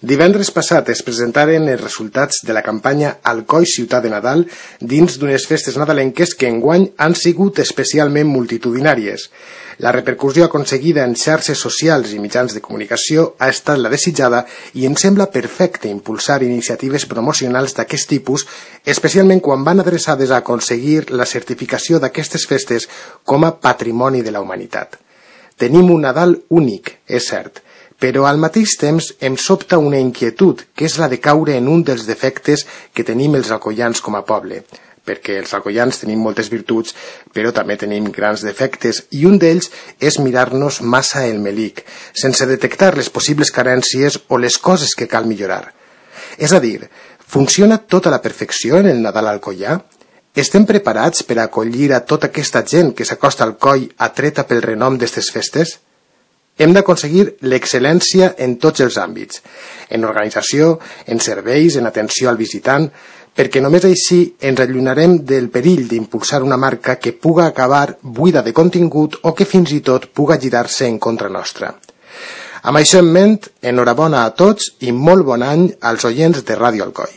Divendres passat es presentaren els resultats de la campanya Alcoi Ciutat de Nadal dins d'unes festes nadalenques que enguany han sigut especialment multitudinàries. La repercussió aconseguida en xarxes socials i mitjans de comunicació ha estat la desitjada i em sembla perfecte impulsar iniciatives promocionals d'aquest tipus, especialment quan van adreçades a aconseguir la certificació d'aquestes festes com a patrimoni de la humanitat. Tenim un Nadal únic, és cert, però al mateix temps em sobta una inquietud, que és la de caure en un dels defectes que tenim els alcoians com a poble, perquè els alcoians tenim moltes virtuts, però també tenim grans defectes, i un d'ells és mirar-nos massa el melic, sense detectar les possibles carències o les coses que cal millorar. És a dir, funciona tot a la perfecció en el Nadal alcoià? Estem preparats per a acollir a tota aquesta gent que s'acosta al coll atreta pel renom d'estes festes? Hem d'aconseguir l'excel·lència en tots els àmbits, en organització, en serveis, en atenció al visitant, perquè només així ens allunyarem del perill d'impulsar una marca que puga acabar buida de contingut o que fins i tot puga girar-se en contra nostra. Amb això en ment, enhorabona a tots i molt bon any als oients de Ràdio Alcoi.